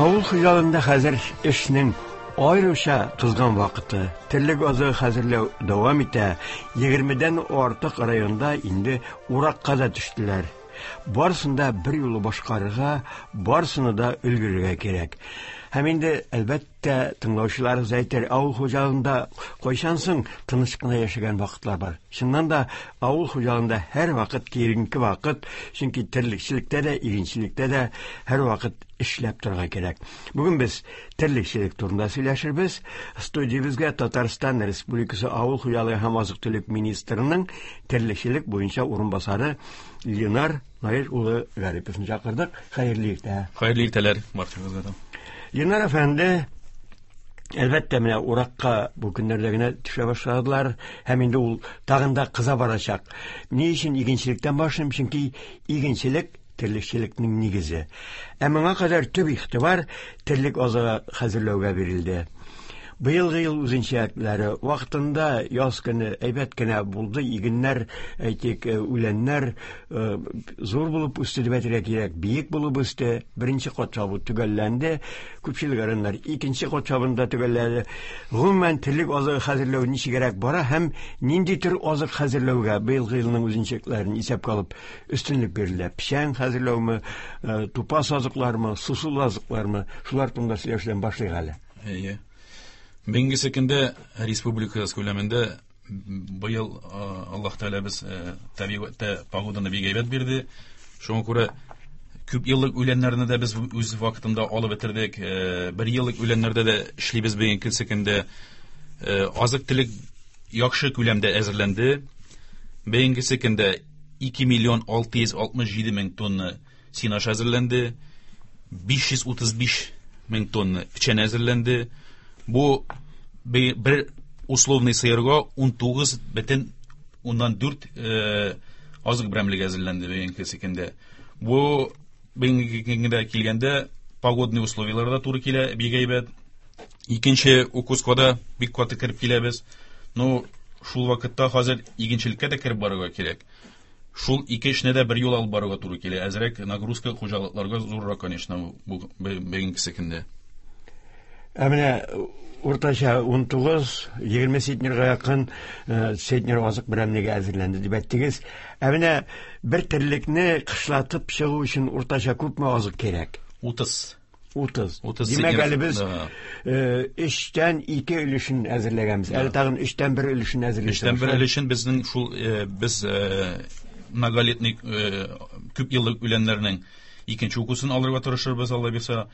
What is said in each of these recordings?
Авыл хуҗалыгында хәзер эшнең аеруча кызган вакыты. Терлек азыгы хәзерләү дәвам итә. 20-дән артык районда инде уракка да төштеләр. Барысын да бер юлы башкарырга, барысына да өлгерергә кирәк. Һәм инде, әлбәттә, тыңлаучыларыбыз әйтер, авыл хуҗалыгында кайчан соң тыныч кына яшәгән вакытлар бар? Чыннан да, авыл хуҗалыгында һәрвакыт киеренке вакыт, чөнки терлекчелектә дә, игенчелектә дә һәрвакыт эшләп торырга кирәк. Бүген без терлекчелек турында сөйләшербез. Студиябезгә Татарстан Республикасы Авыл хуҗалыгы һәм азык-төлек министрының терлекчелек буенча урынбасары Ленар Наил улы Гариповны чакырдык. Хәерле иртә. Хәерле иртәләр барчагызга да. Ленар әфәнде, әлбәттә, менә уракка бу көннәрдә генә төшә башладылар һәм инде ул тагын да кыза барачак. Ни өчен игенчелектән башлыйм? Чөнки игенчелек терлекчелекнең нигезе. Ә моңа кадәр төп игътибар терлек азыгы хәзерләүгә бирелде. Быелгы ел үзенчәлекләре вакытында яз көне әйбәт кенә булды, игеннәр, әйтик, үләннәр зур булып үсте дип әйтергә кирәк, биек булып үсте. Беренче кат чабу төгәлләнде. Күпчелек районнар икенче кат чабуны да төгәлләде. Гомумән, терлек азыгы хәзерләү ничегрәк бара һәм нинди төр азык хәзерләүгә быелгы елның үзенчәлекләрен исәпкә алып өстенлек бирелә? Печән хәзерләүме, тупас азыклармы, сусыл азыклармы? Шулар турында сөйләшүдән башлыйк әле. Әйе. Бүгенге көндә республикабыз күләмендә быел Аллаһ Тәгалә без табигатьтә погоданы бик әйбәт бирде. Шуңа күрә күп еллык үләннәрне дә без үз вакытында алып бетердек. Бер еллык үләннәрдә дә эшлибез бүгенге көндә. Азык-төлек яхшы күләмдә әзерләнде. Бүгенге көндә 2 миллион 667 мең тонна сенаж әзерләнде. 535 мең тонна печән әзерләнде. Бу бер условный сыерга 19,4 азык берәмлеге әзерләнде бүгенге көндә. Бу бүгенге көндә килгәндә погодный условияләр дә туры килә, бик әйбәт. Икенче укускада бик каты кереп киләбез. Ну, шул вакытта хәзер игенчелеккә дә кереп барырга кирәк. Шул ике эшне дә бер юл алып барырга туры килә. Әзрәк нагрузка хуҗалыкларга зуррак, конечно, бу бүгенге көндә. Ә менә уртача 19-20 центнерга якын центнер азык берәмлеге әзерләнде дип әйттегез. Ә менә бер терлекне кышлатып чыгу өчен уртача күпме азык кирәк? 30. 30. 30 Димәк, центнер. әле без Да. өчтән ике өлешен әзерләгәнбез. Әле тагын өчтән бер өлешен әзерлисез. Өчтән бер өлешен безнең шул без многолетний күп еллык үләннәрнең икенче укусын алырга тырышырбыз, Алла бирсә.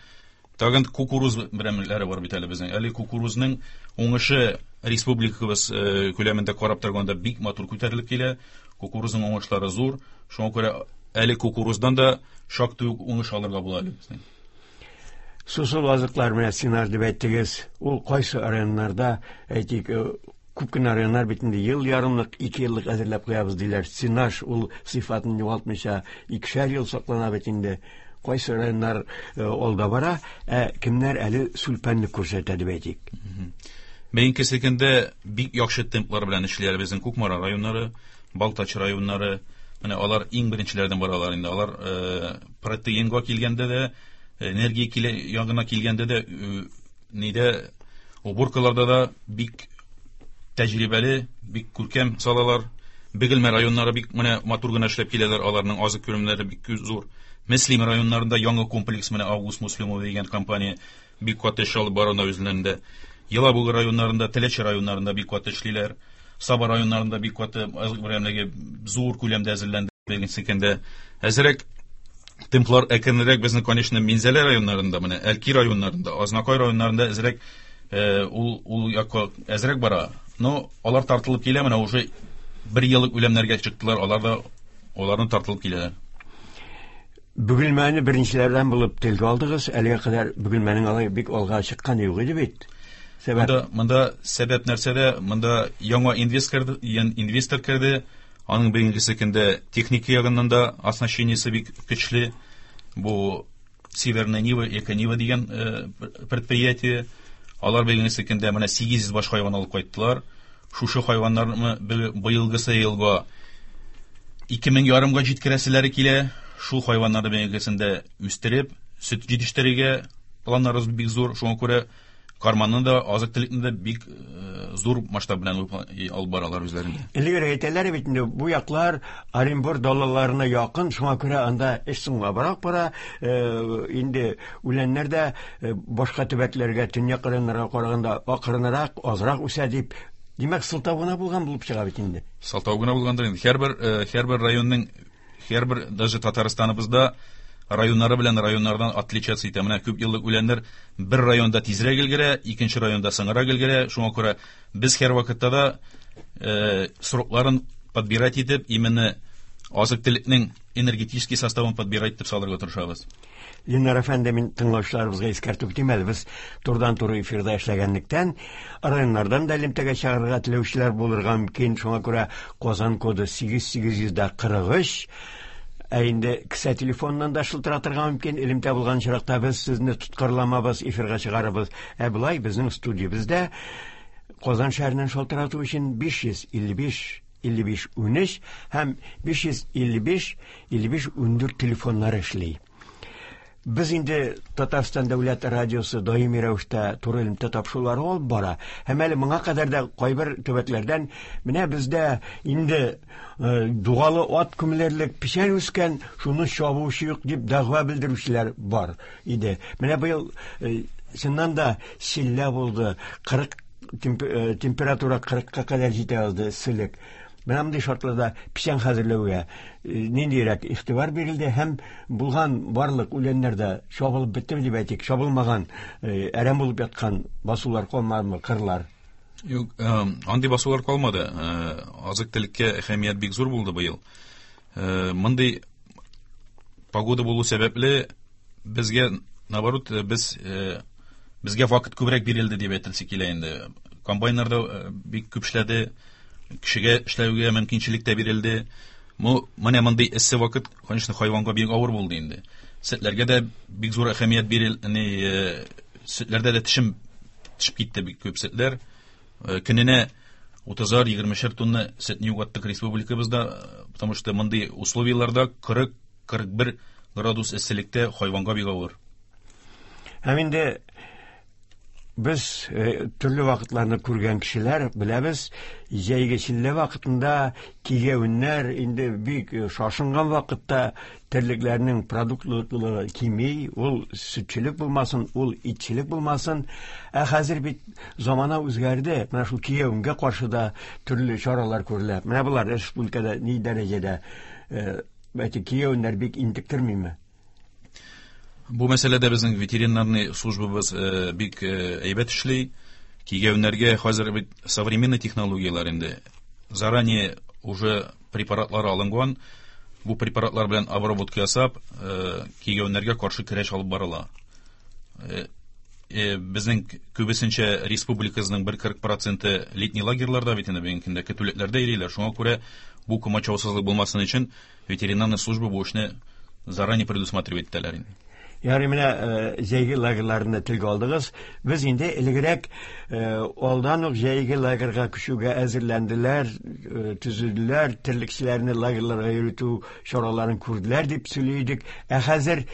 Тагын кукуруз берәмлекләре бар бит әле безнең. Әле кукурузның уңышы республикабыз күләмендә карап торганда бик матур күтәрелеп килә. Кукурузның уңышлары зур. Шуңа күрә әле кукуруздан да шактый ук уңыш алырга була әле безнең. Сусыл азыклар менә сенаж дип әйттегез. Ул кайсы районнарда, әйтик, күп кенә районнар бит инде ел ярымлык, ике еллык әзерләп куябыз диләр. Сенаж ул сыйфатын югалтмыйча икешәр ел саклана бит инде. Кайсы районнар алда бара, ә кемнәр әле сүлпәнлек күрсәтә дип әйтик. Бүгенге көндә бик яхшы темплар белән эшлиләр безнең Кукмара районнары, Балтач районнары. Менә алар иң беренчеләрдән баралар инде. Алар протеинга килгәндә дә, энергия ягына килгәндә дә, нидә, уборкаларда да бик тәҗрибәле, бик күркәм салалар. Бөгелмә районнары бик менә матур гына эшләп киләләр, аларның азык күләмнәре бик зур. Мөслим районнарында яңа комплекс менә Август Муслимова дигән компания бик каты эш алып бара үзләрендә. Елабуга районнарында, Теләче районнарында бик каты эшлиләр. Саба районнарында бик каты азык берәмлеге зур күләмдә әзерләнде. Бүгенге көндә әзерәк темплар әкренрәк безнең, конечно, Минзәлә районнарында, менә Әлки районнарында, Азнакай районнарында әзерәк ул якка әзерәк бара. Но алар тартылып килә, менә уже бер еллык үләмнәргә чыктылар, алар да аларны тартылып киләләр. Бөгелмәне беренчеләрдән булып телгә алдыгыз. Әлегә кадәр Бөгелмәнең алай бик алга чыкканы юк иде бит. Сәбәп? Монда сәбәп нәрсәдә? Монда яңа инвестор керде. Аның бүгенге көндә техника ягыннан да оснащениесе бик көчле. Бу Северная Нива, Эко Нива дигән предприятие. Алар бүгенге көндә менә 800 баш хайван алып кайттылар. Шушы хайваннарны быелгысы елга 2500 га җиткерәселәре килә. Шул хайваннарны быелгысында үстереп, сөт җитештерергә планнарыбыз бик зур. Шуңа күрә карманны да, азык-төлекне дә бик зур масштаб белән алып баралар үзләрендә. Элегрәк әйтәләр бит инде, бу яклар Оренбур далаларына якын, шуңа күрә анда эш соңлабрак бара, инде үләннәр дә башка төбәкләргә, төньяк районнарга караганда акрынрак, азрак үсә дип. Димәк, сылтау гына булган булып чыга бит инде. Сылтау гына булгандыр инде. Һәрбер районның, һәрбер даже Татарстаныбызда районнары белән районнардан отличаться итә. Менә күп еллык үләннәр бер районда тизрәк өлгерә, икенче районда соңрак өлгерә. Шуңа күрә без һәр вакытта да срокларын подбирать итеп, именно азык-төлекнең энергетический составын подбирать итеп салырга тырышабыз. Ленар әфәнде, мин тыңлаучыларыбызга искәртеп үтим әле, без турыдан-туры эфирда эшләгәнлектән, районнардан да элемтәгә чыгарырга теләүчеләр булырга мөмкин. Шуңа күрә Казан коды сигез сигез йөз дә кырык өч. Ә инде кесә телефоныннан да шылтыратырга мөмкин. Элемтә булган очракта без сезне тоткарламабыз, эфирга чыгарабыз. Ә болай безнең студиябездә Казан шәһәреннән шалтырату өчен 555 55 13 һәм 555 55 14 телефоннары эшли. Без инде Татарстан дәүләт радиосы даими рәвештә туры элемтә тапшырулары алып бара. Һәм әле моңа кадәр дә кайбер төбәкләрдән менә бездә инде дугалы ат күмелерлек печән үскән, шуны чабучы юк дип дәгъва белдерүчеләр бар иде. Менә быел чыннан да челлә булды, 40 температура 40-ка кадәр җитә алды эсселек. Менә мондый шартларда печән хәзерләүгә ниндирәк игътибар бирелде һәм булган барлык үләннәр дә чабылып бетте дип әйтик, чабылмаган, әрәм булып яткан басулар калмадымы, кырлар? Юк, андый басулар калмады. Азык-төлеккә әһәмият бик зур булды быел. Мондый погода булу сәбәпле безгә, наоборот, безгә вакыт күбрәк бирелде дип әйтелсе килә инде. Комбайннар да бик күп эшләде, кешегә эшләүгә мөмкинчелек тә бирелде. Менә мондый эссе вакыт, конечно, хайванга бик авыр булды инде. Сөтләргә дә бик зур әһәмият бирел-, ни сөтләрдә дә тешем төшеп китте бик күп сөтләр. Көненә утызар, егермешәр тонна сөтне югаттык республикабызда, потому что мондый условияларда кырык, кырык бер градус эсселектә хайванга бик авыр. Һәм инде без төрле вакытларны күргән кешеләр беләбез, җәйге челлә вакытында кигәвеннәр инде бик шашынган вакытта терлекләрнең продуктлылыгы кими, ул сөтчелек булмасын, ул итчелек булмасын. Ә хәзер бит замана үзгәрде, менә шул кигәвенгә каршы да төрле чаралар күрелә. Менә болар республикада ни дәрәҗәдә, әйтик, кигәвеннәр бик интектермиме? Бу мәсьәләдә безнең ветеринарный службабыз бик әйбәт эшли. Кигәвеннәргә хәзер бит современный технологияләр инде. Заранее уже препаратлар алынган. Бу препаратлар белән обработка ясап, кигәвеннәргә каршы көрәш алып барыла. Безнең күбесенчә республикабызның бер кырык проценты летний лагерьларда бит инде бүгенге көндә көтүлекләрдә йөриләр. Шуңа күрә бу комачаусызлык булмасын өчен ветеринарная служба бу эшне заранее предусматривать итәләр инде. Ярый, менә җәйге лагерьларны телгә алдыгыз. Без инде элегрәк алдан ук җәйге лагерьга күчүгә әзерләнделәр, төзеделәр, терлекчеләрне лагерьларга йөртү чараларын күрделәр дип сөйли идек. Ә хәзер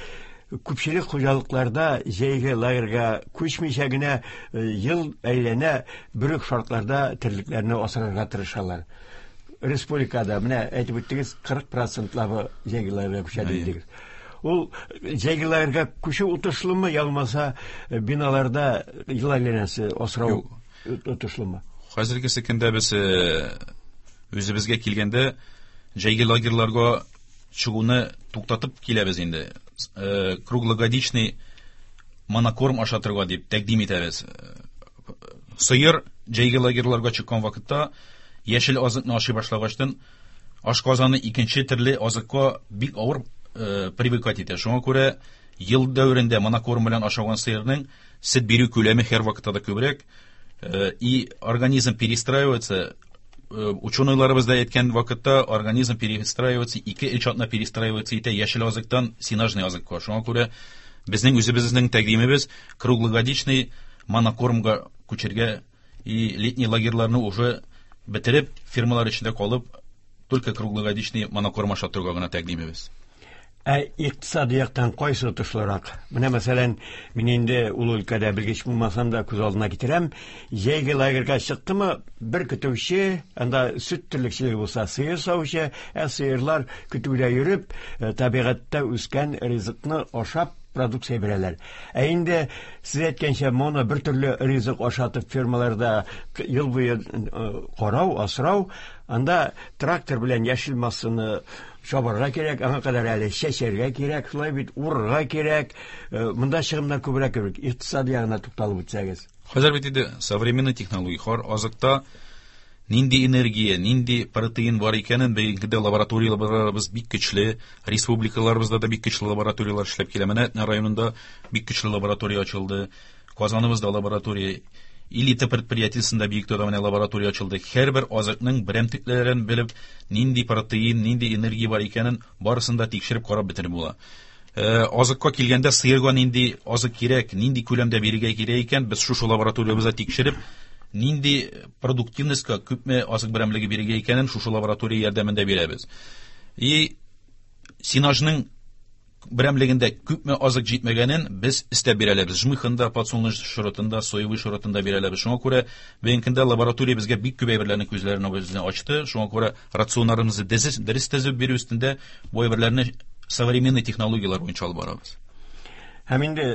күпчелек хуҗалыкларда җәйге лагерьга күчмичә генә ел әйләнә бер үк шартларда терлекләрне асрарга тырышалар. Республикада менә әйтеп үттегез, кырык процентлабы җәйге лагерьга күчә дидегез. Ул җәйге лагерьга күчү отышлымы, я булмаса биналарда ел әйләнәсе асрау Юк. отышлымы? Хәзерге көндә без үзебезгә килгәндә җәйге лагерьларга чыгуны туктатып киләбез инде. Круглогодичный монокорм ашатырга дип тәкъдим итәбез. Сыер җәйге лагерьларга чыккан вакытта яшел азыкны ашый башлагачтан ашказаны икенче төрле азыкка бик авыр привыкать итә. Шуңа күрә ел дәверендә монокорм белән ашаган сыерның сөт бирү күләме һәр вакытта да күбрәк. И организм перестраивается. Ученыйларыбыз да әйткән вакытта организм перестраивается, ике-өч атна перестраивается итә яшел азыктан сенажный азыкка. Шуңа күрә безнең үзебезнең тәкъдимебез круглогодичный монокормга күчергә и летний лагерьларны уже Бетереп, фермалар эчендә калып, только круглогодичный монокорм ашатырга гына тәкъдимебез. Ә икътисади яктан кайсы отышлырак? Менә мәсәлән, мин инде ул өлкәдә белгеч булмасам да күз алдына китерәм. Җәйге лагерьга чыктымы, бер көтүче, анда сөт терлекчелеге булса, сыер савучы, ә сыерлар көтүдә йөреп, табигатьтә үскән ризыкны ашап продукция бирәләр. Ә инде сез әйткәнчә, моно бер төрле ризык ашатып фермаларда ел буе карау, асрау, анда трактор белән яшел массаны чабарга кирәк, аңа кадәр әле чәчәргә кирәк, шулай бит, урырга кирәк. Монда чыгымнар күбрәк кебек. Икътисад ягына тукталып үтсәгез. Хәзер бит инде современный технология, һәр азыкта нинди энергия, нинди протеин бар икәнен бүгенге лабораторияләребез бик көчле, республикаларыбызда да бик көчле лабораторияләр эшләп килә. Менә Әтнә районында бик көчле лаборатория ачылды. Казаныбызда лаборатория, Элита предприятиесендә Биектауда менә лаборатория ачылды. Һәрбер азыкның берәмтекләрен белеп, нинди протеин, нинди энергия бар икәнен барысын да тикшереп карап бетереп була. Азыкка килгәндә сыерга нинди азык кирәк, нинди күләмдә бирергә кирәк икән, без шушы лабораториябездә тикшереп, нинди продуктивностька күпме азык берәмлеге бирергә икәнен шушы лаборатория ярдәмендә бирәбез. И сенажның берәмлегендә күпме азык җитмәгәнен без истәп бирәләбез. Жмыхында, подсолнечный шротында, соевый шротында бирәләбез. Шуңа күрә бүгенге көндә лаборатория безгә бик күп әйберләрне күзләрен үзенә ачты. Шуңа күрә рационнарыбызны дөрес төзеп бирү өстендә бу әйберләрне современный технологияләр буенча алып барабыз. Һәм инде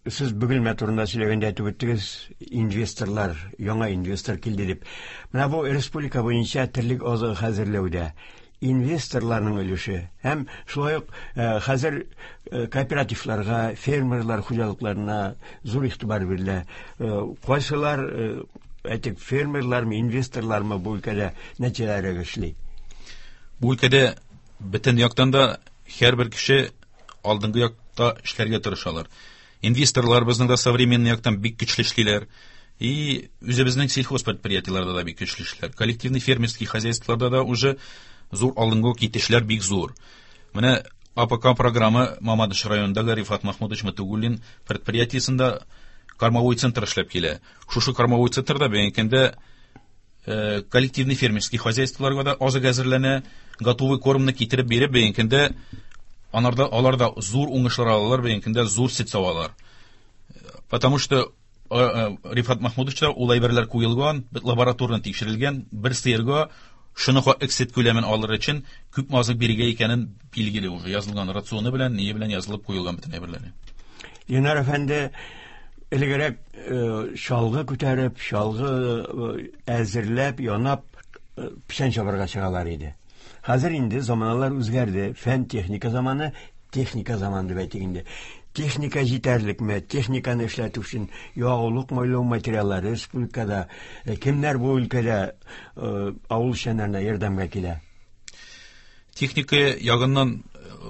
сез Бөгелмә турында сөйләгәндә әйтеп үттегез, инвесторлар, яңа инвестор килде дип. Менә бу республика буенча терлек азыгы хәзерләүдә инвесторларның өлеше һәм шулай ук хәзер кооперативларга, фермерлар хуҗалыкларына зур игътибар бирелә. Кайсылар, әйтик, фермерлармы, инвесторлармы бу өлкәдә нәтиҗәләргә эшли? Бу өлкәдә бөтен яктан да һәрбер кеше алдынгы якта эшләргә тырышалар. Инвесторлар безнең дә современный яктан бик көчле эшлиләр. И үзебезнең сельхоз предприятиеләрдә дә бик көчле эшлиләр. Коллективный фермерский хозяйстволарда да уже зур алдынгы китешләр бик зур. Менә АПК программа Мамадыш районындагы Рифат Махмудович Матугуллин предприятиесендә кормовой центр эшләп килә. Шушы кормовой центрда бүгенге көндә коллективный фермерский хозяйстволарга да азык әзерләнә, готовый кормны китереп биреп бүгенге көндә алар да зур уңышлар алалар, бүгенге көндә зур сөт савалар. Потому что Рифат Махмудовичта ул әйберләр куелган, лабораторно тикшерелгән, бер сыерга шуны сөт күләмен алыр өчен күпме азык бирергә икәнен билгеле уже, язылган рационы белән, ние белән язылып куелган бөтен әйберләре. Ленар әфәнде, элегрәк чалгы күтәреп, чалгы әзерләп, янап, печән чабарга чыгалар иде. Хәзер инде заманалар үзгәрде. Фән техника заманы, техника заманы дип әйтик инде. Техника җитәрлекме? Техниканы эшләтү өчен ягулык майлау материаллары республикада кемнәр бу өлкәдә авыл эшчәннәренә ярдәмгә килә? Техника ягыннан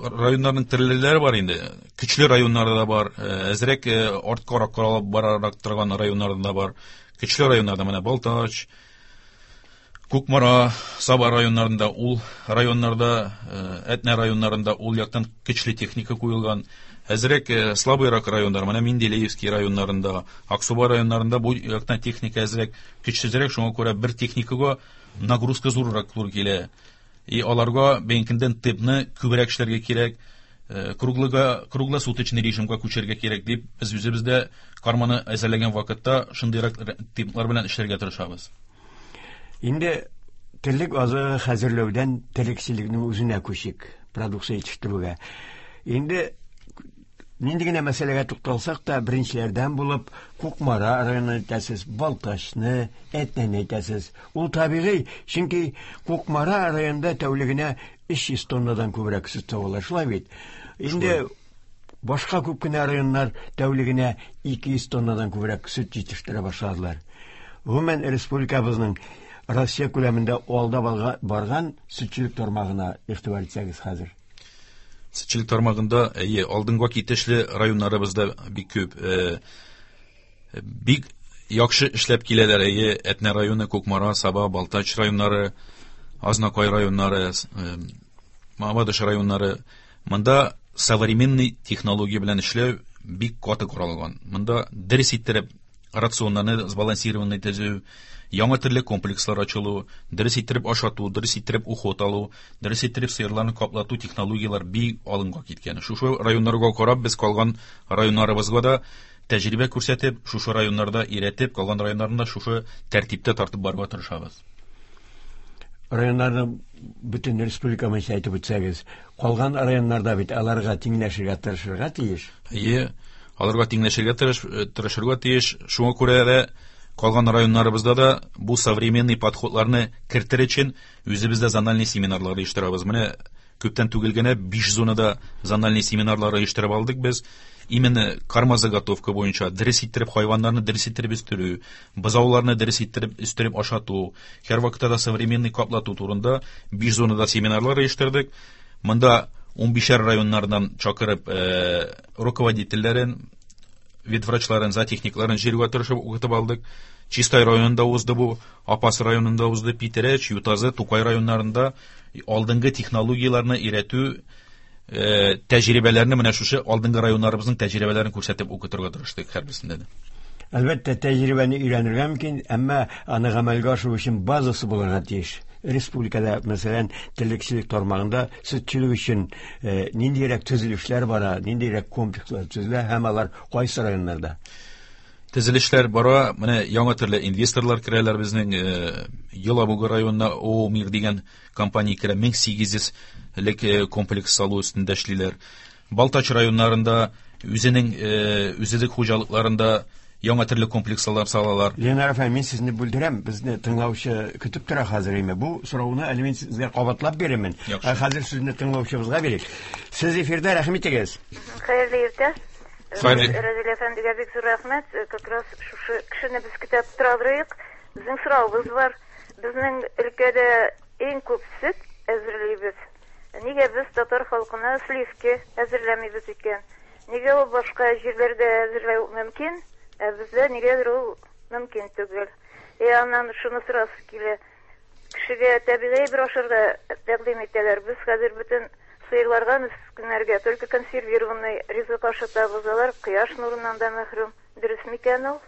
районнарның төрлеләре бар инде. Көчле районнары да бар, әзрәк арткарак каралып барарак торган районнары да бар. Көчле районнарда менә Балтач, Кукмара, Саба районнарында, ул районнарда, Әтнә районнарында ул яктан көчле техника куелган. Әзрәк слабыйрак районнар, менә Менделеевский районнарында, Аксубай районнарында бу яктан техника әзрәк көчсезрәк, шуңа күрә бер техникага нагрузка зуррак туры килә. И аларга бәнкендән темпны күбрәк эшләргә кирәк, круглосуточный режимга күчәргә кирәк дип без үзебездә карманы әзерләгән вакытта шундыйрак темплар белән эшләргә тырышабыз. Инде терлек азыгы хәзерләүдән терлекчелекнең үзенә күчик, продукция җитештерүгә. Инде нинди генә мәсьәләгә тукталсак та, беренчеләрдән булып Кукмара районын әйтәсез, Балтачны, Әтнәне әйтәсез. Ул табигый, чөнки Кукмара районында тәүлегенә 300 тоннадан күбрәк сөт савалар, шулай бит? Инде башка күп кенә районнар тәүлегенә 200 тоннадан күбрәк сөт җитештерә башладылар. Гомумән, республикабызның Россия күләмендә алда барган сөтчелек тармагына игътибар итсәгез хәзер. Сөтчелек тармагында, әйе, алдынгы китешле районнарыбызда бик күп. Бик яхшы эшләп киләләр, әйе, Әтнә районы, Кукмара, Саба, Балтач районнары, Азнакай районнары, Мамадыш районнары. Монда современный технология белән эшләү бик каты коралган. Монда дөрес иттереп рационнарны сбалансированный төзү, Яңа төрле комплекслар ачылу, дөрес иттереп ашату, дөрес иттереп уход алу, дөрес иттереп сыерларны каплату технологияләр бик алынга киткән. Шушы районнарга карап без калган районнарыбызга да тәҗрибә күрсәтеп, шушы районнарда өйрәтеп, калган районнарында шушы тәртиптә тартып барырга тырышабыз. Районнарны бөтен республика буенча әйтеп үтсәгез, калган районнарда бит аларга тиңләшергә тырышырга тиеш. Әйе, аларга тиңләшергә тырышырга тиеш. Шуңа күрә дә калган районнарыбызда да бу современный подходларны кертер өчен үзебездә зональный семинарлар оештырабыз. Менә күптән түгел генә 5 зонада зональный семинарлар оештырып алдык без. Именно кормозаготовка буенча дөрес иттереп хайваннарны дөрес иттереп үстерү, бозауларны дөрес иттереп үстереп ашату, һәр вакытта да современный каплату турында 5 зонада семинарлар оештырдык. Монда 15 районнардан чакырып руководительләрен, ветврачларын, зоотехникларын җыярга тырышып укытып алдык. Чистай районында узды бу, Апас районында узды, Питрәч, Ютазы, Тукай районнарында алдынгы технологияләрне өйрәтү, тәҗрибәләрне менә шушы алдынгы районнарыбызның тәҗрибәләрен күрсәтеп укытырга тырыштык һәрберсендә дә. Әлбәттә, тәҗрибәне өйрәнергә мөмкин, әмма аны гамәлгә ашыру өчен базасы булырга тиеш. Республикада, мәсәлән, терлекчелек тармагында сөтчелек өчен ниндирәк төзелешләр бара, ниндирәк комплекслар төзелә һәм алар кайсы районнарда? Төзелешләр бара, менә яңа төрле инвесторлар керәләр безнең, Елабуга районына ООО Мир дигән компания керә, 1800 лек комплекс салу өстендә эшлиләр. Балтач районнарында үзенең үзелек хуҗалыкларында яңа төрле комплекслар салалар. Ленар әфәнде, мин сезне бүлдерәм, безне тыңлаучы көтеп тора хәзер инде. Бу сорауны әле мин сезгә кабатлап бирермен. Яхшы. Хәзер сүзне тыңлаучыбызга бирик. Сез эфирдә, рәхим итегез. Хәерле иртә. Хәерле. Разил әфәндегә бик зур рәхмәт. Как раз шушы кешене без көтеп торабыз. Безнең соравыбыз бар. Безнең өлкәдә иң күп сөт әзерлибез. Нигә без татар халкына сливки әзерләмибез икән? Нигә ул башка җирләрдә әзерләү мөмкин, ә бездә нигәдер ул мөмкин түгел? Аннан шуны сорасы килә. Кешегә табигый бер ашарга тәкъдим итәләр. Без хәзер бөтен сыерларга, мескеннәргә только консервированный ризык ашатабыз. Алар кояш нурыннан да мәхрүм. Дөрес микән ул?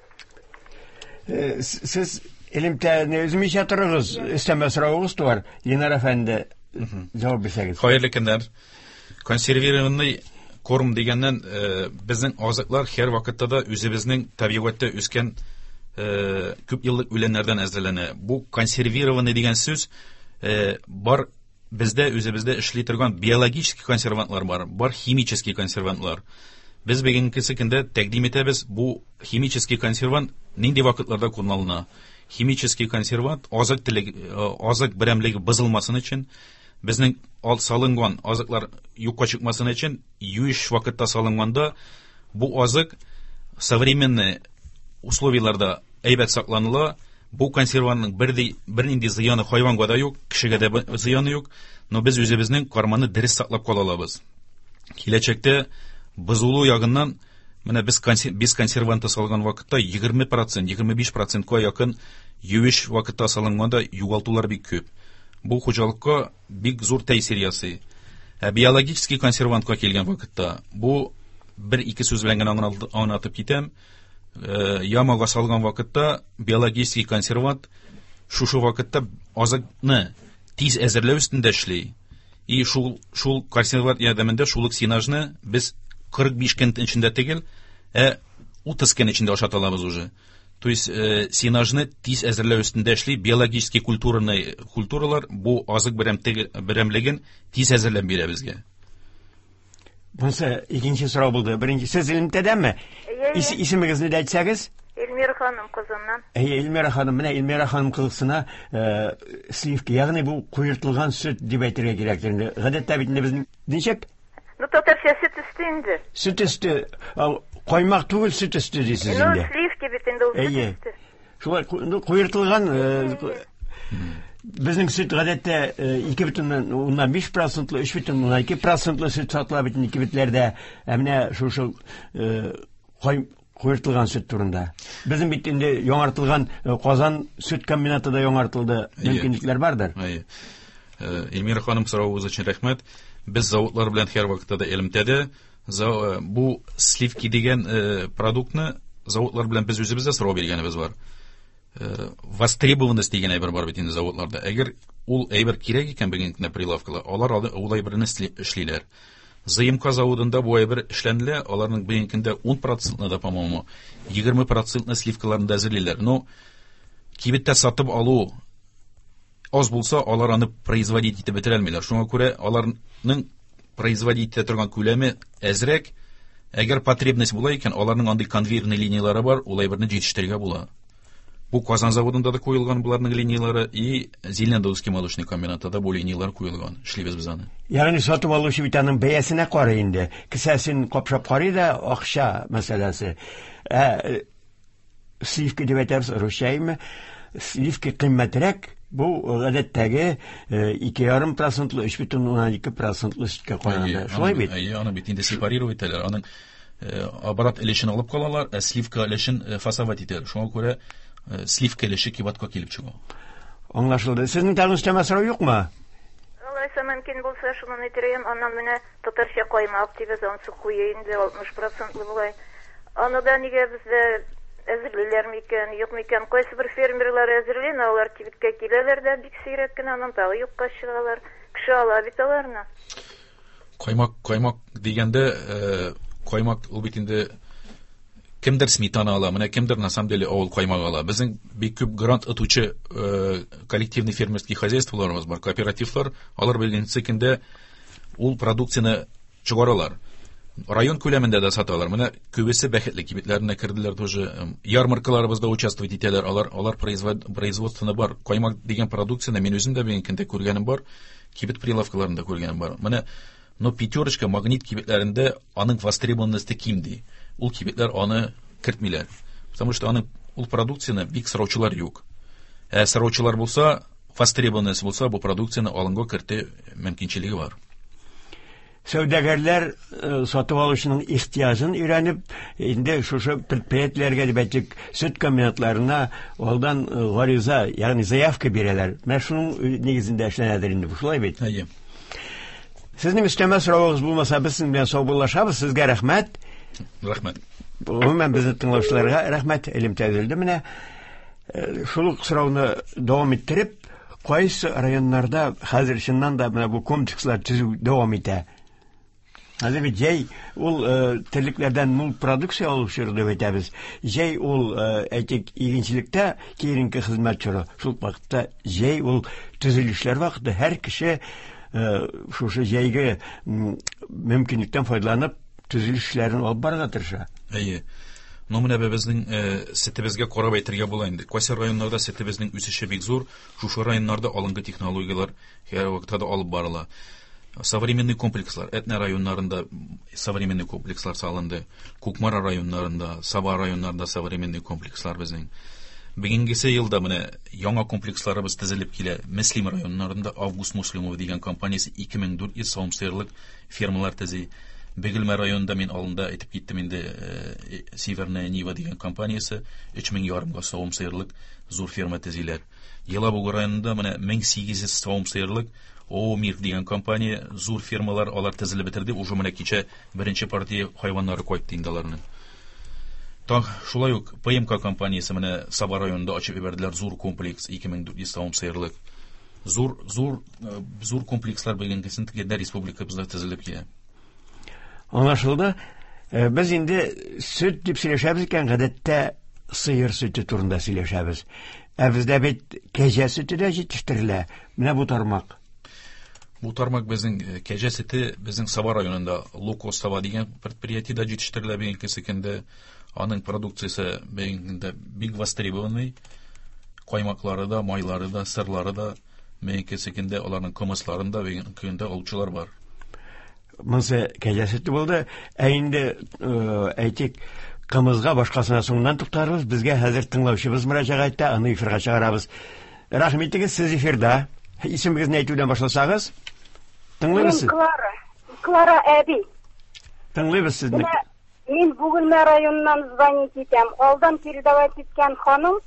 Сез элемтәне өзмичә торыгыз. Өстәмә соравыгыз туар. Ленар әфәнде, җавап бирсәгез. Хәерле көннәр. Консервированный корм дигәннән, безнең азыклар һәр вакытта да үзебезнең табигатьтә үскән күп еллык үләннәрдән әзерләнә. Бу консервированный дигән сүз, бар бездә үзебездә эшли торган биологический консервантлар бар, бар химический консервантлар. Без бүгенге көндә тәкъдим итәбез, бу химический консервант нинди вакытларда кулланыла? Химический консервант азык теле, азык берәмлеге бозылмасын өчен, безнең салынган азыклар юкка чыкмасын өчен, юеш вакытта салынганда бу азык современный условияларда әйбәт сакланыла. Бу консервантның бернинди зыяны хайванга да юк, кешегә дә зыяны юк, но без үзебезнең карманы дөрес саклап кала алабыз. Киләчәктә бозылу ягыннан менә без без консерванты салган вакытта егерме процент, егерме биш процентка якын юеш вакытта салынганда югалтулар бик күп. Бу хуҗалыкка бик зур тәэсир ясый. Ә биологический консервантка килгән вакытта бу бер-ике сүз белән генә аңлатып китәм. Ямага салган вакытта биологический консервант шушы вакытта азыкны тиз әзерләү өстендә эшли. И шул консервант ярдәмендә шул ук сенажны без 45 көн эчендә түгел, ә 30 көн эчендә ашата алабыз уже. То есть сенажны тиз әзерләү өстендә эшли, биологический культуралар бу азык берәмлеген тиз әзерләп бирә безгә. Монысы икенче сорау булды. Беренче, сез элемтәдәме? Әйе, әйе. Исемегезне дә әйтсәгез? Эльмира ханым Казаннан. Әйе, Эльмира ханым, менә Эльмира ханым кызыксына сливки, ягъни бу куертылган сөт дип әйтергә кирәк инде. Гадәттә бит инде безнең ничек? Ну, татарча сөт өсте инде. Сөт өсте, каймак түгел, сөт өсте дисез Ну, инде. сливки бит инде ул сөт Әйе. өсте. Шулай, куертылган безнең сөт гадәттә ике бөтен уннан биш процентлы, өч бөтен уннан ике процентлы сөт сатыла бит инде кибетләрдә. Ә менә шушы куертылган сөт турында. Безнең бит инде яңартылган Казан сөт комбинаты да яңартылды. Әйе. Мөмкинлекләр бардыр. Әйе. Эльмира ханым, соравыгыз өчен рәхмәт. Без заводлар белән һәр вакытта да элемтәдә. Бу сливки дигән продуктны заводлар белән без үзебез дә сорау биргәнебез бар. Востребованность дигән әйбер бар бит инде заводларда. Әгәр ул әйбер кирәк икән бүгенге көндә прилавкада, алар ул әйберне эшлиләр. ЗМК заводында бу әйбер эшләнелә, аларның бүгенге көндә 10 процентны да, по-моему, 20 процентны сливкаларын да әзерлиләр. Но кибеттә сатып алу аз булса, алар аны производить итеп бетерә алмыйлар. Шуңа күрә аларның производить итә торган күләме әзрәк. Әгәр потребность була икән, аларның андый конвейерный линиялары бар, ул әйберне җитештерергә була. Бу Казан заводында да куелган буларның линиялары и Зеленодольский молочный комбинатта да бу линиялар куелган. Эшлибез без аны. Ягъни сатып алучы бит аның бәясенә карый инде. Кесәсен капшап карый да, акча мәсьәләсе. Ә сливка дип әйтәбез русча әйме? Сливка кыйммәтрәк, бу гадәттәге 2,5 процентлы, 3,2 процентлы сөткә караганда. Шулай бит? Әйе, аны бит инде сепарировать итәләр. Аның оборот өлешен алып калалар, ә сливка өлешен фасовать итәләр. Шуңа күрә сливка өлеше кыйбатка килеп чыга. Аңлашылды. Сезнең тагын өстәмә сорау юкмы? Алайса мөмкин булса, шуны әйтерем. Аннан менә татарча каймак дибез, анысы куе инде, 60 процентлы болай. Аны да нигә бездә әзерлиләр микән, юк микән? Кайсы бер фермерлар әзерли, но алар кибеткә киләләр дә бик сирәк кенә, аннан тагы юкка чыгалар. Кеше ала бит аларны. Каймак дигәндә, каймак ул бит инде кемдер сметана ала, менә кемдер на самом деле авыл каймагы ала. Безнең бик күп грант отучы коллективный фермерский хозяйстволарыбыз бар, кооперативлар, алар беренче көндә ул продукцияне чыгаралар. Район күләмендә дә саталар. Менә күбесе бәхетле кибетләренә керделәр тоже. Ярмаркаларыбызда участвовать итәләр. Алар производствоны бар. Каймак дигән продукцияне мин үзем дә бүгенге көндә күргәнем бар. Кибет прилавкаларында күргәнем бар. Менә но Пятерочка, Магнит кибетләрендә аның востребованности ким ди. Ул кибетләр аны кертмиләр. Потому что аның ул продукцияне бик сораучылар юк. Ә сораучылар булса, востребованность булса, бу продукцияне алынга кертү мөмкинчелеге бар. Сәүдәгәрләр сатып алучының ихтыяҗын өйрәнеп, инде шушы предприятиеләргә дип әйтик, сөт комбинатларына алдан гариза, ягъни заявка бирәләр. Менә шуның нигезендә эшләнәдер инде бу, шулай бит? Әйе. Сезнең өстәмә соравыгыз булмаса, без сезнең белән саубуллашабыз. Сезгә рәхмәт. Рәхмәт. Гомумән безне тыңлаучыларга рәхмәт. Элемтә өзелде менә. Шул ук сорауны дәвам иттереп, кайсы районнарда хәзер чыннан да менә бу комплекслар төзү дәвам итә? Хәзер бит җәй ул терлекләрдән мул продукция алу чоры дип әйтәбез. Җәй ул, әйтик, игенчелектә киеренке хезмәт чоры. Шул ук вакытта җәй ул төзелешләр вакыты. Һәр кеше шушы җәйге мөмкинлектән файдаланып төзелеш эшләрен алып барырга тырыша. Әйе. Ну, менә безнең сөтебезгә карап әйтергә була инде. Кайсы районнарда сөтебезнең үсеше бик зур, шушы районнарда алынгы технологияләр һәр вакытта да алып барыла. Современный комплекслар, Әтнә районнарында современный комплекслар салынды. Кукмара районнарында, Саба районнарында современный комплекслар безнең. Бүгенгесе елда менә яңа комплексларыбыз төзелеп килә. Мөслим районнарында Август Муслимов дигән компаниясе 2400 савым сыерлык фермалар төзи. Бөгелмә районында мин алында әйтеп киттем инде, Северная Нива дигән компаниясе өч мең ярымга савым сыерлык зур ферма төзиләр. Елабуга районында менә 1800 савым сыерлык ООО Мир дигән компания зур фермалар алар төзелеп бетерде. Уже менә кичә беренче партия хайваннары кайтты инде аларның. Так, шулай ук ПМК компаниясе менә Саба районында ачып җибәрделәр зур комплекс 2400 савым сыерлык. Зур комплекслар бүгенгесен тегендә республикабызда төзелеп килә. Аңлашылды. Без инде сөт дип сөйләшәбез икән, гадәттә сыер сөте турында сөйләшәбез. Ә бездә бит кәҗә сөте дә җитештерелә. Менә бу тармак. Бу тармак безнең кәҗә сөте безнең Саба районында Лукос Саба дигән предприятиедә җитештерелә бүгенге көндә. Аның продукциясе бүгенге көндә бик востребованный. Каймаклары да, майлары да, сырлары да бүгенге көндә аларның кымысларын да бүгенге көндә алучылар бар. Монысы кәҗә сөте булды. Ә инде әйтик, кымызга башкасына соңыннан туктарбыз. Безгә хәзер тыңлаучыбыз мөрәҗәгать итә, аны эфирга чыгарабыз. Рәхим итегез, сез эфирда. Исемегезне әйтүдән башласагыз. Тыңлыйбыз. Мин Клара. Клара әби. Тыңлыйбыз сезне. Менә мин Бөгелмә районыннан звонить итәм. Алдан передавать иткән ханым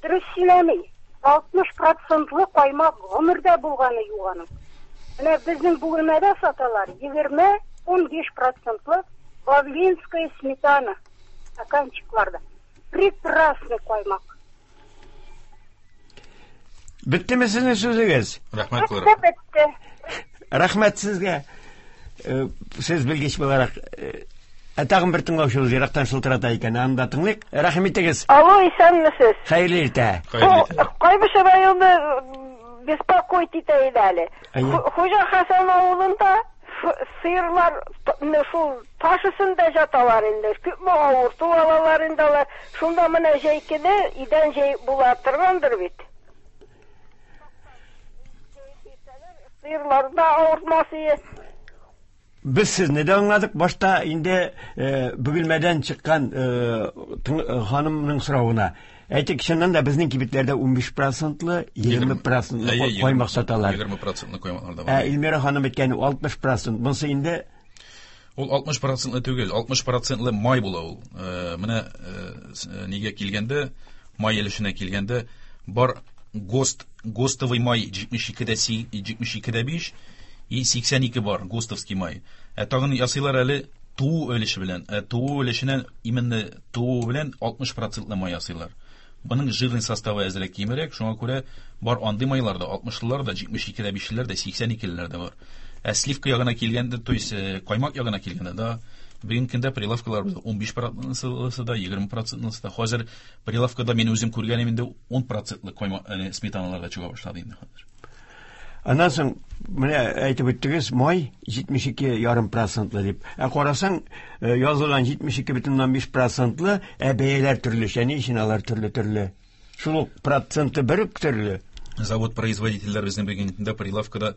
дөрес сөйләми. 60 процентлы каймак гомердә булганы юк аның. Менә безнең Бөгелмәдә саталар егерме, 15 процентлы Бавлинская сметана стаканчикларда. Прекрасный каймак. Беттеме сезнең сүзегез? Рәхмәт, Клара. Бетте, бетте. Рәхмәт сезгә. Сез белгеч буларак, ә тагын бер тыңлаучыбыз ерактан шылтырата икән, аны да тыңлыйк. Рәхим итегез. Алло, исәнмесез. Хәерле иртә. Хәерле иртә. Кайбыч районы беспокоить итә иде әле. Әйе. Хуҗа Хәсән авылында сыерлар менә шул таш өстендә жаталар инде. Күпме авырту алалар инде алар. Шунда менә җәй көне идән җәеп була торгандыр бит. Сыерлар да авыртмас ие. Без сезне дә аңладык. Башта инде Бөгелмәдән чыккан ханымның соравына. Әйтик, чыннан да безнең кибетләрдә 15 процентлы, 20 процентлы каймак саталар. 20 процентлы каймаклар да Ә бар. Эльмира ханым әйткән 60 процент. Монысы инде Ул 60 процентлы түгел, 60 процентлы май була ул. Менә нигә килгәндә, май өлешенә килгәндә, бар ГОСТ, ГОСТовый май 72 72,5 и 82 бар, ГОСТовский май. Ә тагын ясыйлар әле туу өлеше белән. Ә туу өлешеннән именно туу белән 60 процентлы май ясыйлар. Моның жирный составы әзрәк кимерәк, шуңа күрә бар андый майлар да, 60-лылар да, 72,5-леләр дә, 82-леләр дә бар. Ә сливка ягына килгәндә, то есть каймак ягына килгәндә, да, бүгенге көндә прилавкалар 15 процентлысы да, 20 процентлысы да. Хәзер прилавкада мин үзем күргәнем инде 10 процентлы каймак, сметаналар да чыга башлады инде хәзер. Аннан соң менә әйтеп үттегез, май 72,5 процентлы дип. Ә карасаң, язылган 72,5 процентлы, ә бәяләр төрлечә. Ни өчен алар төрле-төрле? Шул ук проценты бер үк төрле. Завод производительләр безнең бүгенге көндә прилавкада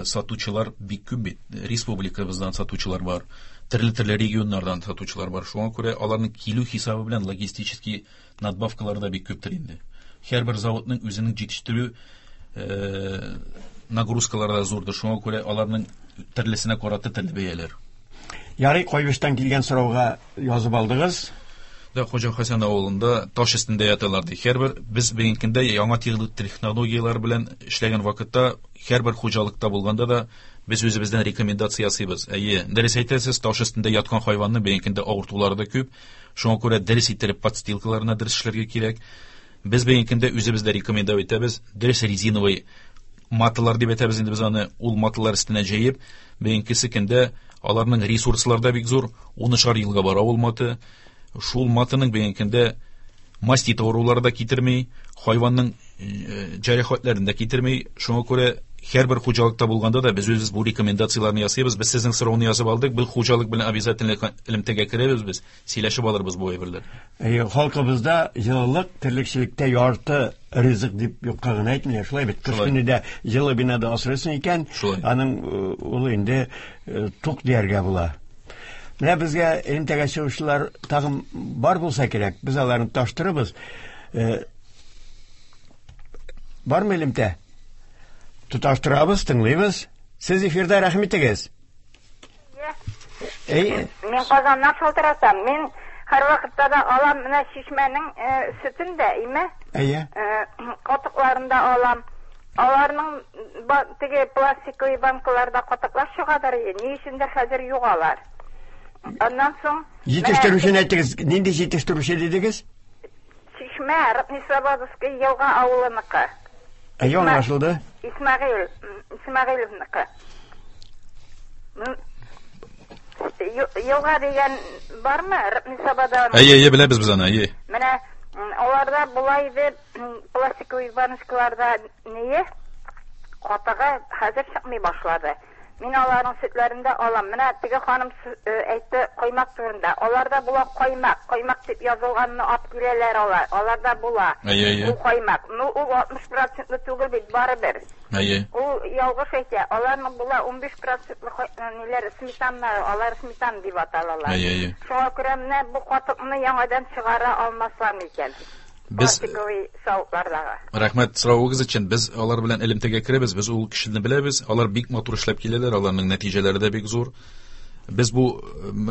сатучылар бик күп бит. Республикабыздан сатучылар бар, төрле-төрле регионнардан сатучылар бар. Шуңа күрә аларның килү хисабы белән логистический надбавкалар да бик күптер инде. Һәрбер заводның үзенең җитештерү нагрузкалары да зурдыр. Шуңа күрә аларның төрлесенә карата төрле бәяләр. Ярый, Кайбычтан килгән сорауга язып алдыгыз. Да, Хуҗа Хәсән авылында таш өстендә яталар ди. Һәрбер без бүгенге көндә яңа технологияләр белән эшләгән вакытта һәрбер хуҗалыкта булганда да без үзебездән рекомендация ясыйбыз. Әйе, дөрес әйтәсез, таш өстендә яткан хайванны бүгенге көндә авыртулары да күп. Шуңа күрә дөрес иттереп подстилкаларына дөрес эшләргә кирәк. Без бүгенге көндә үзебез дә рекомендовать итәбез. Дөрес резиновый маталар дип әйтәбез инде без аны, ул маталар өстенә җәеп, бүгенге көндә аларның ресурслары да бик зур, унышар елга бара ул маты. Шул матының бүгенге көндә мастит авырулары да китерми, хайванның җәрәхәтләрен дә китерми. Шуңа күрә һәрбер хуҗалыкта булганда да без үзебез бу рекомендацияләрне ясыйбыз. Без сезнең сорауны язып алдык, бу хуҗалык белән обязательно элемтәгә керәбез без, сөйләшеп алырбыз бу әйберләр. Әйе, халкыбызда җылылык терлекчелектә ярты ризык дип юкка гына әйтмиләр. Шулай бит, кыш Шулай. көне дә җылы бинада асрыйсың икән, Шулай. аның ул инде тук дияргә була. Менә безгә элемтәгә чыгучылар тагын бар булса кирәк, без аларны таштырыбыз. Бармы элемтә? Тоташтырабыз, тыңлыйбыз. Сез эфирда, рәхим итегез. Әй. Мин Казаннан шалтыратам. Мин һәр вакытта да алам менә чишмәнең сөтен дә, име? Әйе. Катыкларын да алам. Аларның теге пластиковый банкаларда катыклар чыгадыр, ни өчендер хәзер юк алар. Аннан соң Җитештерүчене әйтегез, нинди җитештерүче дидегез? Чишмә, Рыбнеслободовский елга авылыныкы. Әйе, аңлашылды. Исмәгыйль, Исмәгыйлевныкы. Елга дигән бармы? Рыбнеслобода. Әйе, әйе, беләбез без аны, әйе. Менә аларда була иде пластиковый баночкаларда нее? Катыгы хәзер чыкмый башлады. Мин аларның сөтләрен дә алам. Менә теге ханым әйтте каймак турында. Аларда була каймак. Каймак дип язылганны алып киләләр алар. Аларда була. Әйе, әйе. Ул каймак. Ну, ул 60 процентлы түгел бит, барыбер. Әйе. Ул ялгыш әйтә. Аларның була 15 процентлы ниләр, сметаннар, алар сметан дип аталалар. Әйе, әйе. Шуңа күрә менә бу катыкны яңадан чыгара алмаслар микән? Без Пластиковый савытлардагы. Рәхмәт соравыгыз өчен. Без алар белән элемтәгә керәбез, без ул кешене беләбез. Алар бик матур эшләп киләләр, аларның нәтиҗәләре дә бик зур. Без бу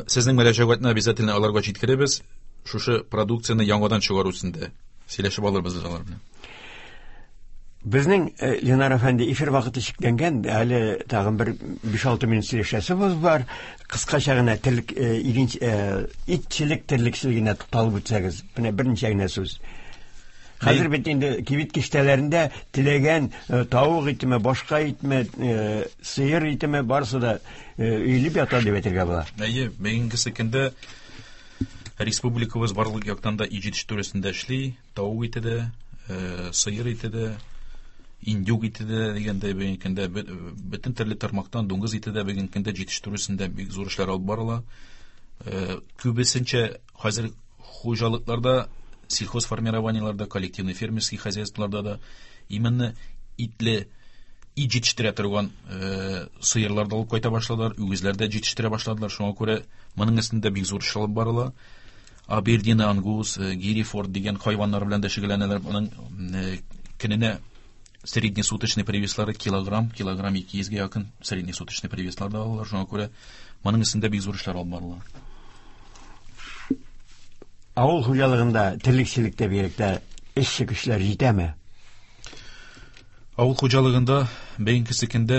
сезнең мөрәҗәгатьне обязательно аларга җиткерәбез. Шушы продукцияне яңадан чыгару өчен дә сөйләшеп алырбыз без алар белән. Безнең Ленар әфәнде эфир вакыты чикләнгән, әле тагын бер 5-6 минут сөйләшәсебез бар. Кыскача гына терлек, игенч, итчелек терлекчелегенә тукталып үтсәгез, менә берничә генә сүз. Хәзер бит инде кибет киштәләрендә теләгән тавык итеме, башка итме, сыер итеме барысы да өелеп ята дип әйтергә була. Әйе, бүгенге көндә республикабыз барлык яктан да ит җитештерү өстендә эшли, тавык ите дә, сыер ите дә, индюк ите дә дигәндәй бүгенге көндә бөтен төрле тармактан дуңгыз ите дә бүгенге көндә җитештерү өстендә бик зур эшләр алып барыла. Күбесенчә хәзер хуҗалыкларда, сельхозформированиеларда, коллективный фермерский хозяйстволарда да именно итле ит җитештерә торган сыерлар да алып кайта башладылар, үгезләр дә җитештерә башладылар. Шуңа күрә моның өстендә бик зур эш алып барыла. Абердин, Ангус, Герефорд дигән хайваннар белән дә шөгыльләнәләр. Моның көненә среднесуточный привеслары килограмм, килограмм 200 гә якын среднесуточный привеслар да алалар. Шуңа күрә моның өстендә бик зур эшләр алып барыла. Авыл хуҗалыгында, терлекчелектә бигрәк тә эшче көчләр җитәме? Авыл хуҗалыгында бүгенге көндә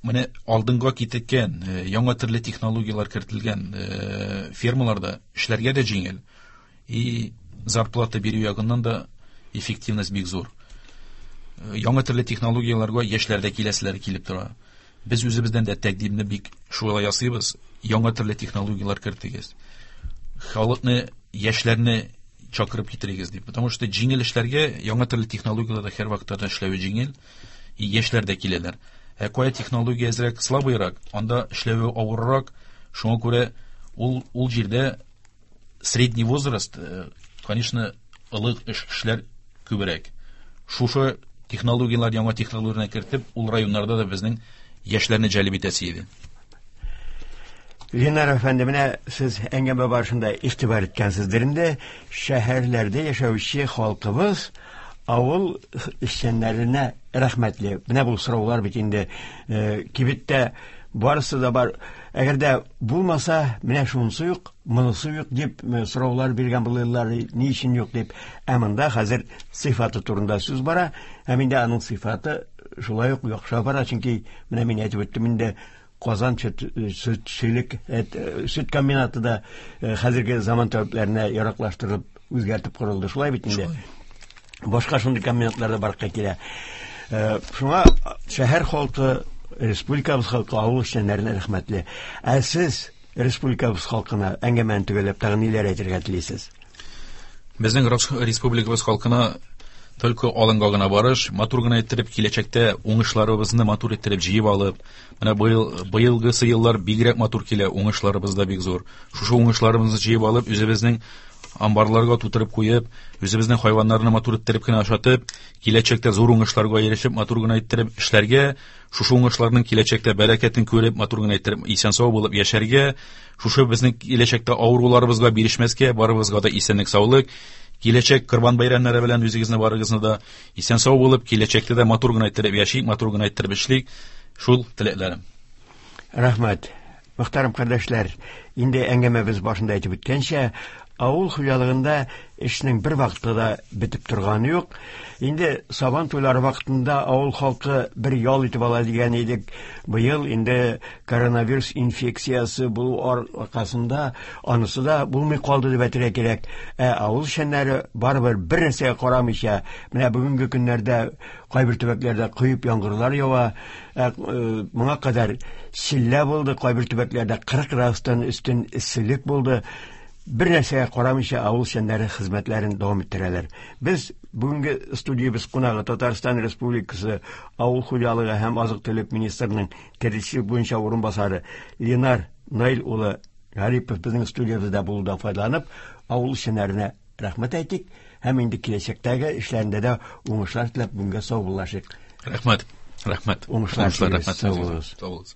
менә алдынга киткән, яңа төрле технологияләр кертелгән фермаларда эшләргә дә җиңел. И зарплата бирү ягыннан да эффективность бик зур. Яңа төрле технологияләргә яшьләр дә киләселәре килеп тора. Без үзебездән дә тәкъдимне бик шулай ясыйбыз. Яңа төрле технологияләр кертегез. Халыкны, яшьләрне чакырып китерегез дип. Потому что җиңел эшләргә яңа төрле технологияләрдә һәр вакытта да эшләве җиңел. И яшьләр дә киләләр. Ә кая технология әзрәк слабыйрак, анда эшләве авыррак. Шуңа күрә ул җирдә средний возраст, конечно, олы кешеләр күбрәк. Шушы технологияләр, яңа технологияләрне кертеп, ул районнарда да безнең яшьләрне җәлеп итәсе иде. Ленар әфәнде, менә сез әңгәмә барышында игътибар иткәнсездер инде, шәһәрләрдә яшәүче халкыбыз авыл эшчәннәренә рәхмәтле. Менә бу сораулар бит инде кибеттә барысы да бар. Әгәр дә булмаса, менә шунысы юк, монысы юк дип сораулар биргән булырлар, ни өчен юк дип. Ә монда хәзер сыйфаты турында сүз бара, һәм инде аның сыйфаты шулай ук яхшы бара, чөнки менә мин әйтеп үттем инде, Казан сөтчелек, сөт комбинаты да хәзерге заман таләпләренә яраклаштырылып, үзгәртеп корылды. Шулай бит инде. Башка шундый комбинатлар да барлыкка килә. Шуңа шәһәр халкы, республикабыз халкы авыл эшчәннәренә рәхмәтле. Ә сез республикабыз халкына әңгәмәне төгәлләп тагын ниләр әйтергә телисез? Безнең республикабыз халкына только алынга гына барыш, матур гына иттереп киләчәктә уңышларыбызны матур иттереп җыеп алып, менә быелгысы еллар бигрәк матур килә, уңышларыбыз да бик зур. Шушы уңышларыбызны җыеп алып, үзебезнең амбарларга тутырып куеп, үзебезнең хайваннарны матур иттереп кенә ашатып, киләчәктә зур уңышларга ирешеп, матур гына иттереп эшләргә, шушы уңышларның киләчәктә бәрәкәтен күреп, матур гына иттереп исән-сау булып яшәргә, шушы безнең киләчәктә авыруларыбызга бирешмәскә, барыбызга да исәнлек, саулык, киләчәк Корбан бәйрәмнәре белән үзегезне барыгызны да исән-сау булып, киләчәктә дә матур гына иттереп яшик, матур гына иттереп эшлик. Шул теләкләрем. Рәхмәт. Мөхтәрәм кардәшләр, инде әңгәмәбез башында әйтеп үткәнчә, авыл хуҗалыгында эшнең бер вакытта да бетеп торганы юк. Инде сабан туйлары вакытында авыл халкы бер ял итеп ала дигән идек. Быел инде коронавирус инфекциясе булу аркасында анысы да булмый калды дип әйтергә кирәк. Ә авыл эшчәннәре барыбер бер нәрсәгә карамыйча, менә бүгенге көннәрдә кайбер төбәкләрдә коеп яңгырлар ява, моңа кадәр челлә булды, кайбер төбәкләрдә 40 градустан өстен эсселек булды. Бер нәрсәгә карамыйча авыл эшчәннәре хезмәтләрен дәвам иттерәләр. Без бүгенге студиябез кунагы Татарстан Республикасы Авыл хуҗалыгы һәм азык-төлек министрының терлекчелек буенча урынбасары Ленар Наил улы Гарипов безнең студиябездә булудан файдаланып, авыл эшчәннәренә рәхмәт әйтик һәм инде киләчәктәге эшләрендә дә уңышлар теләп бүгенгә саубуллашыйк. Рәхмәт. Рәхмәт. Уңышлар, рәхмәт. Сау булыгыз. Сау булыгыз.